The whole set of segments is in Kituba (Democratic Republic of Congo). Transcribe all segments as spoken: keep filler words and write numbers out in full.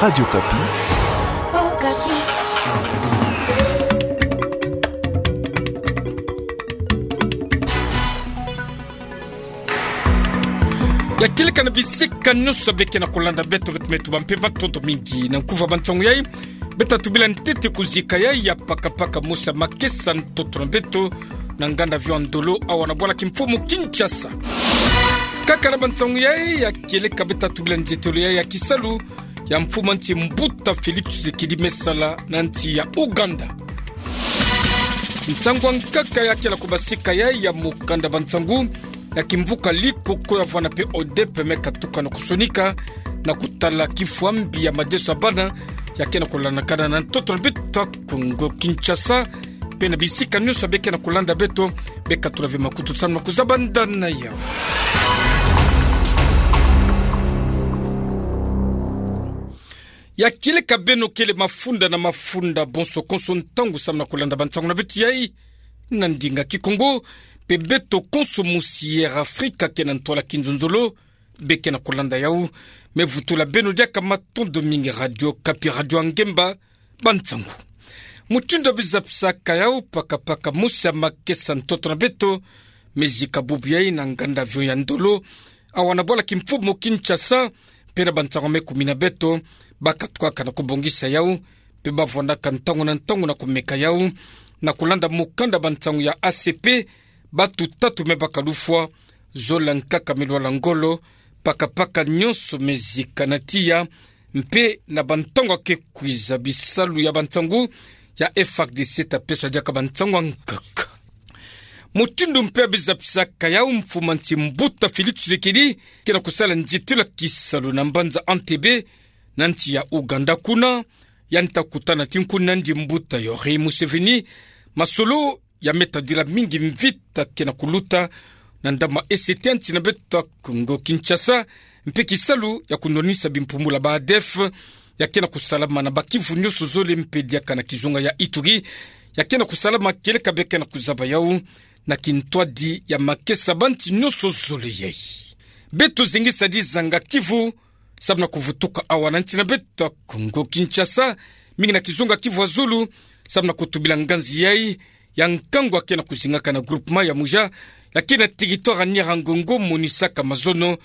Radio Okapi. Ya kieleka na bisika nyonso beke na kolanda beto, beto me tubâ mpemba, matondo mingi. Na nkufi ya bansangu yai, beta tubila ntete kuzika yai ya pakapaka mosi ya makesa ntoto na beto, na nganda avion ya Ndolo, awa na bwala kimfumu Kinshasa. Kaka na bansangu yai ya kieleka, beta tubila nzietolo yai ya kisalu ya mfumu a nsi Mbuta Félix Tshisekedi me sala na nsi ya Ouganda. Nsangu ya nkaka ya kele kubasika yai ya mokanda bansangu ya kimvuka Likoko ya vwanda mpe ODEP me katuka na kusonika, na kutala kifwambi ya madeso ya bana ya ke na kulanakana na ntoto na beto Kongo Kinshasa, mpe na bisika nyonso beke na kulanda beto, beka tula ve makutu samu na kuzabanda na yau. Ya kieleka beno kele mafunda na mafunda, bonso konso ntangu samu na kulanda bansangu na beto yai na ndinga Kikongo, mpe beto konso mosi Air Afrique ke na ntwala kinzonzolo, beke na kulanda yau, me vutula beno diaka matondo mingi. Radio Okapi, radio ya ngemba, bansangu. Mutindu ya bizapisaka yau, pakapaka mosi ya makesa ntoto na beto me zika bubu yai na nganda avion ya Ndolo, awa na bwala kimfumu Kinshasa, mpe na bansangu me kumina beto, baka tukaka na kubongisa yau, mpe bavwandaka ntangu na ntangu na kumeka yau, na kulanda mokanda bansangu ya A C P, batu tatu me baka lufwa, zola nkaka me lwala ngolo, pakapaka nyonso me zika na tiya, mpe na bantangu ya ke kwiza bisalu ya bansangu ya F A R D C ta peswa diaka bansangu ya nkaka. Mutindu mpe ya bizapisaka yau, mfumu a nsi Mbuta Félix Tshisekedi ke na kusala nzietolo ya kisalu na mbanza Entebbe, na nsi ya Ouganda kuna, yandi ta kutana tinkuni na yandi mbuta Yoweri Museveni, masolo ya me tadila mingi mvita ke na kuluta na ndambu ma E C T ya nsi na beto Kongo Kinshasa, mpe kisalu ya kunwanisa bimpumbulu ya ba ADF, ya ke na kusalama na bakivu nyonso zole mpe diaka na kizunga ya Ituri, ya ke na kusalama kieleka beke na kuzaba yau na kintwadi ya makesa bansi nyonso zole yai. Beto zingisa dizanga kivu, samu na kuvutuka awa na nsi na beto Kongo Kinshasa, mingi na kizunga Kivu ya zulu, samu na kutubila nganzi yai ya nkangu ya ke na kuzingaka na groupement ya Muja, ya ke na territoire ya Nyiragongo, monisaka mazono,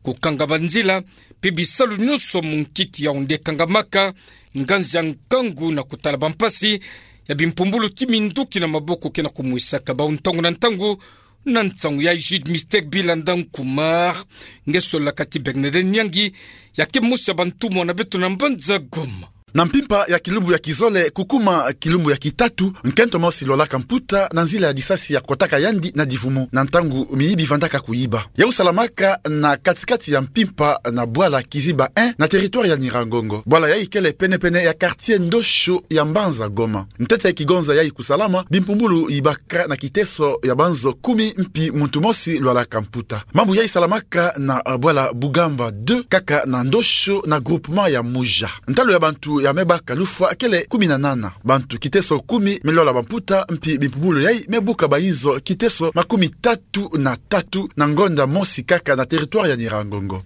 kukanga banzila, mpe bisalu nyonso munkiti ya onde kangamaka, nganzi ya nkangu na kutala bampasi ya bimpumbulu ti minduki na maboko ke na kumwisaka bau ntangu na ntangu, na nsangu yai Jude Mystère Bilanda Nkumar, nge solaka ti Bernadette Nyangi, ya ke mosi ya bantumwa na beto na mbanza Goma. Na mpimpa ya kilumbu ya kizole kukuma kilumbu ya kitatu, nkento mosi lwalaka mputa na nzila ya disasi ya kotaka yandi na divumu na ntangu miyibi vandaka kuyiba. Yau salamaka na katikati ya mpimpa na bwala Kiziba un na territoire ya Nyiragongo. Bwala yai kele penepene ya quartier Ndosho ya mbanza Goma. Ntete kigonza yai kusalama, bimpumbulu yibaka na kiteso ya banzo kumi mpi muntu mosi lwalaka mputa. Mambu yai salamaka na, ah, bwala Bugamba deux, kaka na Ndosho na groupement ya Muja. Ntalu ya bantu ya me baka lufwa kele kumi na nana. Bantu kiteso kumi me lwala bamputa, mpi bimpumbulu yai me buka bayinzo kiteso makumi tatu na tatu na ngonda mosi kaka na territoire ya Nyiragongo.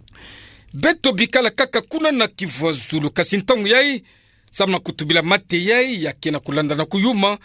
Beto bikala kaka kuna na Kivu ya zulu, kasi ntangu yai, samu na kutubila mateyai ya ke na kulanda na kuyuma,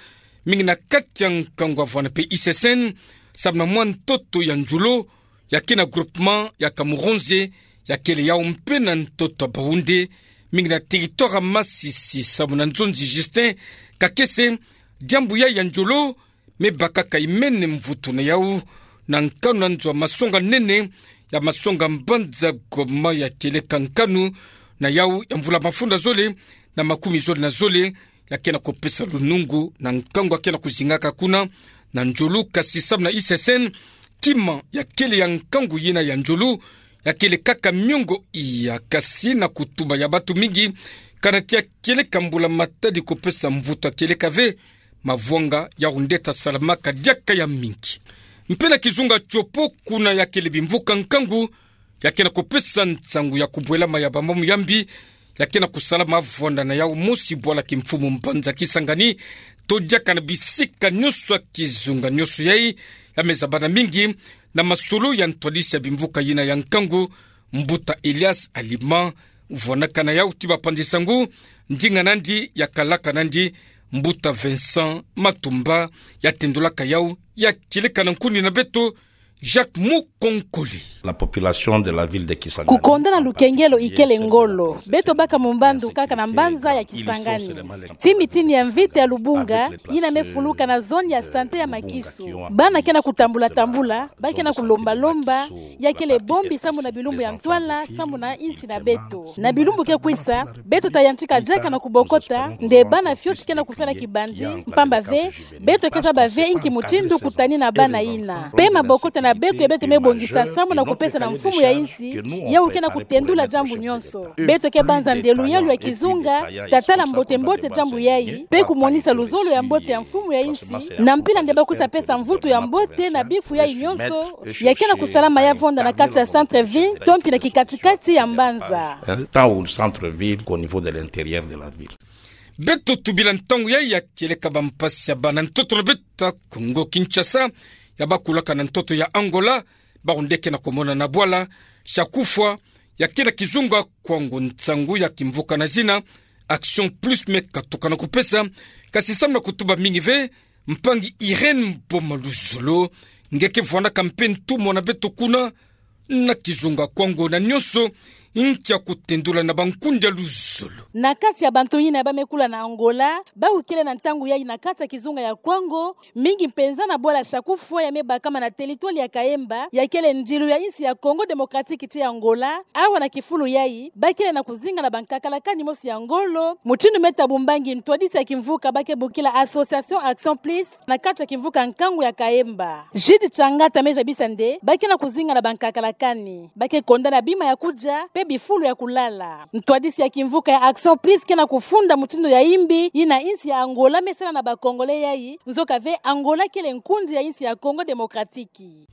mingi na kati ya nkangu ya vwanda mpe I C S N, samu na mwa ntoto ya Ndjolo, ya ke na groupement ya Kamuronze, ya kele yau mpe na ntoto ya Baoundé, mingi na territoire ya Masisi, samu na Nzonzi Justin Kakese, diambu yai ya Ndjolo, me bakaka imene mvutu na yau, na nkanu na nzo ya masonga-nene, ya masonga mbanza Goma ya kieleka nkanu na yau ya mvula mafunda zole na makumi zole na zole, ya ke na kupesa lunungu na nkangu ya ke na kuzingaka kuna na Ndjolo, kasi samu na I C S N, kima ya kele ya nkangu yina ya Ndjolo, ya kele kaka miongo iya, kasi na kutuba ya batu mingi, kana ti ya kieleka mbula-matadi kupesa mvutu ya kieleka ve, mavwanga ya onde ta salamaka diaka ya mingi. Mpe na kizunga Tshopo kuna ya kele bimvuka nkangu, ya ke na kupesa nsangu ya kubwelama ya bamambu ya mbi, ya ke na kusalama vwanda na yau mosi bwala kimfumu mbanza Kisangani, to diaka na bisika nyonso ya kizunga nyonso yai, ya me zabana mingi na masolo ya ntwadisi ya bimvuka yina ya nkangu, mbuta Elias Alima, vwanakana yau ti bapanzi sangu, ndinga nandi ya kalaka nandi, Mbuta Vincent Matumba, ya tendulaka yau, ya kieleka na nkuni na beto, Jacques Mukonkole. La population de la ville de Kisangani. Kukonda na lukengelo ikele ngolo. Beto baka mu mbandu kaka na mbanza ya Kisangani. Ti mitini ya mvita ya Lubunga, yina me fuluka na zone ya santé ya Makisu. Bana ke na kutambula-tambula, ba ke na kulomba-lomba, ya kele bombi sambu na bilumbu ya ntwala, sambu na insi na beto. Na bilumbu ke kwisa, beto ta yantika diaka na kubokota, nde bana fioti ke na kusala kibandi, mpamba ve, beto ke zaba ve inki mutindu kutani na bana yina. Pe mabokota na beto ya beto me bongisa sambu na kupesa na mfumu ya insi, yau ke na kutendula diambu nyonso. Beto ke banza nde luyalu ya kizunga, ta tala mbote-mbote diambu yayi, pe kumonisa luzolo ya mbote ya mfumu ya insi, na mpila nde ba kwisa pesa mvutu ya mbote na bifu yayi nyonso, ya ke na kusalama ya vonda na kati ya centre-ville, to mpi na kikati-kati ya mbanza. Hein, tant au centre-ville qu'au niveau de l'intérieur de la ville. Beto tubila ntangu yayi ya kieleka bampasi ya bana ntoto na beto ya Kongo Kinshasa, ya bakulaka na ntoto ya Angola, bawu nde ke na kumonana bwala, chaque fois, ya ke na kizunga Kwango nsangu ya kimvuka na zina, Action Plus me katuka na kupesa, kasi sambu na kutuba mingi ve, mpangi Irène Mpoma Luzolo, nge ke vwanaka mpe ntumwa na beto kuna, na kizunga Kwango na nyonso, ntia kutendula na bankundi ya luzolo. Na kati ya bantu yina ba me kula na Angola, bawu kele na ntangu yayi na kati ya kizunga ya Kwango, mingi mpenza na bwala chaque fois ya me bakama na territoire ya Kaemba, ya kele ndilu ya insi ya Congo Démocratique ti Angola, awa na kifulu yayi, ba kele na kuzinga na bankakalakani mosi ya ngolo, mutindu me tabumbangi ntwadisi ya kimvuka ba ke bokila Association Action Plus, na kati ya kimvuka nkangu ya Kaemba. Jude Changata me zabisa nde, ba ke na kuzinga na bankakalakani, ba ke konda na bima ya kudia, pe bifulu ya kulala. Ntwadisi ya kimvuka ya Action Plus ke na kufunda mutindu ya imbi, yina insi ya Angola me sala na ba Congolais yayi, nzoka ve Angola kele nkundi ya insi ya Congo Démocratique.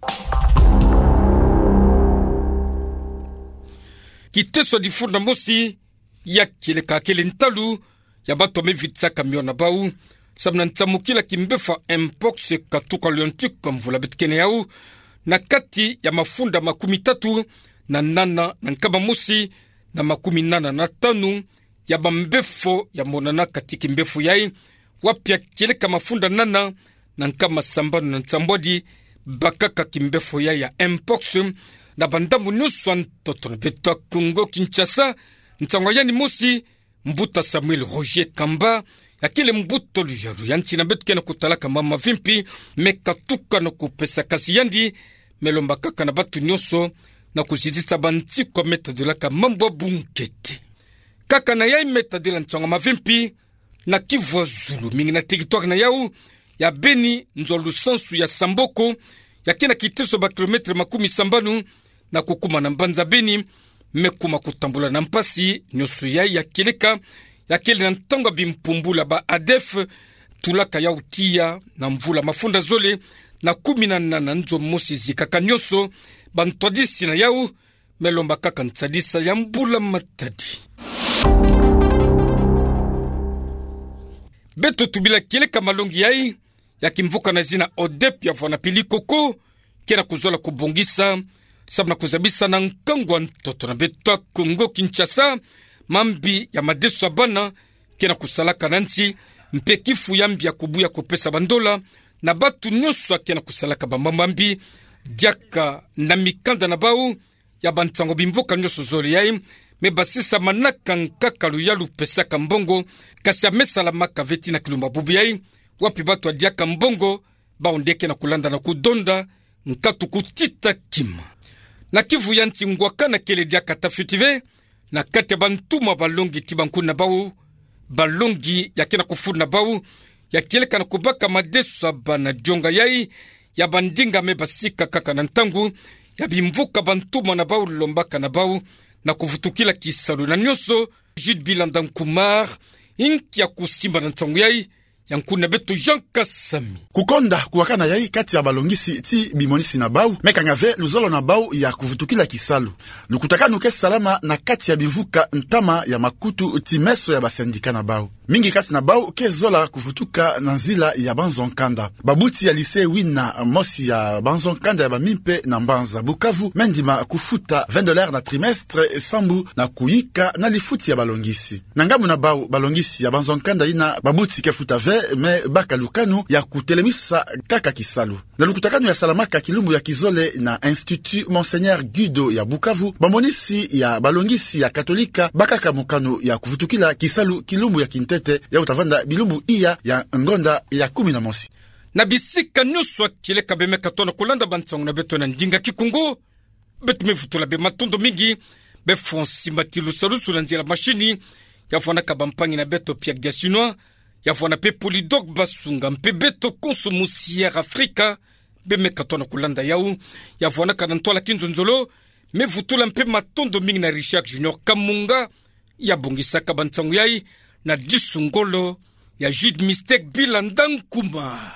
Kiteso ya difunda mosi, ya kieleka kele ntalu, ya bato me vitisaka mio na bawu, sambu na nsamukila kimbefo ya mpox katuka Lyon ti kwa mvula beto kena yawu, na kati ya mafunda makumi tatu na nana na nkama mosi na makumi nana na tanu, ya bambefo ya monana kati kimbefo yayi, wapi ya kieleka mafunda nana na nkama sambanu na nsambwadi, bakaka kimbefo yayi ya mpox, na bandambu nyonso ya ntoto na beto ya Congo Kinshasa, nsangu ya yandi mosi, Mbuta Samuel Roger Kamba, ya kele mbuta luyalu ya nsi na beto ke na kutalaka mambu mavimpi, me katuka na kupesa kasi yandi, me lomba kaka na bato nyonso, na kuzitisa bansi kwa me tadolaka mambu ya bunkete. Kaka na yayi me tadila nsangu mavimpi, na kivu ya zulu mingi na territoire na yawu, ya Beni, nzo ya lusansu ya Samboko, ya ke na kiteso ba kilomètre makumi sambanu, na kukuma na mbanza Beni, me kuma kutambula na mpasi, nyonso yayi ya kieleka, ya kele na ntangu ya bimpumbula ba ADF, tulaka yawu tiya, na mvula mafunda zole, na kumi na nana nzo mosi zikaka nyonso, bantwadisi na yawu, me lomba kaka nsadisa ya mbula matadi. Beto tubila kieleka malongi yayi, ya kimvuka na zina ODEP ya vwana Pili Koko, ke na kuzola kubongisa, sambu na kuzabisa na nkangu ya ntoto na beto ya Congo Kinshasa, mambi ya madeso ya bana, ke na kusalaka na nsi, mpe kifu ya mbi ya kubuya kupesa bandola, na bato nyonso ya ke na kusalaka bamambu ya mbi, diaka na mikanda na bawu, ya bansangu bimvuka nyonso zole yayi, me basisa manaka nkaka luyalu pesaka mbongo, kasi ya me salamaka ve ti na kilumba bubu yayi, wapi bato ya diaka mbongo, bawu nde ke na kulanda na kudonda, nkatu kutita kima. Na kivu ya nsi ngwakana kele diaka ta fioti ve, na kati ya bantumwa balongi ti bankuni na bawu, balongi ya ke na kufunda na bawu, ya kieleka na kubaka madeso ya bana dionga yayi, ya bandinga me basika kaka na ntangu, ya bimvuka bantumwa na bawu lombaka na bawu, na kuvutukila kisalu na nyonso, Jude Bilanda Nkumar, inki ya kusimba na nsangu yayi, ya nkuni na beto Jean Kasami. Kukonda kuwakana yayi kati ya balongisi ti bimonisi na bawu, me kanga ve luzolo na bawu ya kuvutukila kisalu. Lukutakanu ke salama na kati ya bimvuka ntama ya makutu ti meso ya ba syndicat na bawu. Mingi kati na bau ke zola kuvutuka na nzila ya banzo-nkanda. Babuti ya lycée Wina, mosi ya banzo-nkanda ya bamimpe na mbanza Bukavu, me ndima kufuta vingt dollars na trimestre sambu na kuyika na lifuti ya balongisi. Na ngambu na bau balongisi ya banzo-nkanda yina, babuti ke futa ve, me baka lukanu ya kutelemisa kaka kisalu. Na lukutakanu ya salamaka kilumbu ya kizole na Institut Monseigneur Guido ya Bukavu, bamonisi ya balongisi ya Katolika bakaka mokano ya kuvutukila kisalu kilumbu ya kintete, yau ta vanda bilumbu iya ya ngonda ya kumi na mosi. Na bisika nyonso ya kieleka bemeka tona kulanda bansangu na beto na ndinga Kikongo, beto me vutula be matondo mingi. Be Francis Matilu Salusu na nzila mashini, ya vwanaka bampangi na beto Pierre Diasinois, ya vwana mpe Polydor Basunga mpe beto konso musi Air Africa, bemeka tona kulanda yau. Ya vwanaka na ntwala kinzonzolo, me vutula mpe matondo mingi na Richard Junior Kamunga, ya bongisaka bansangu yai, na disu ngolo ya Jude Mistake Bila Ndankuma.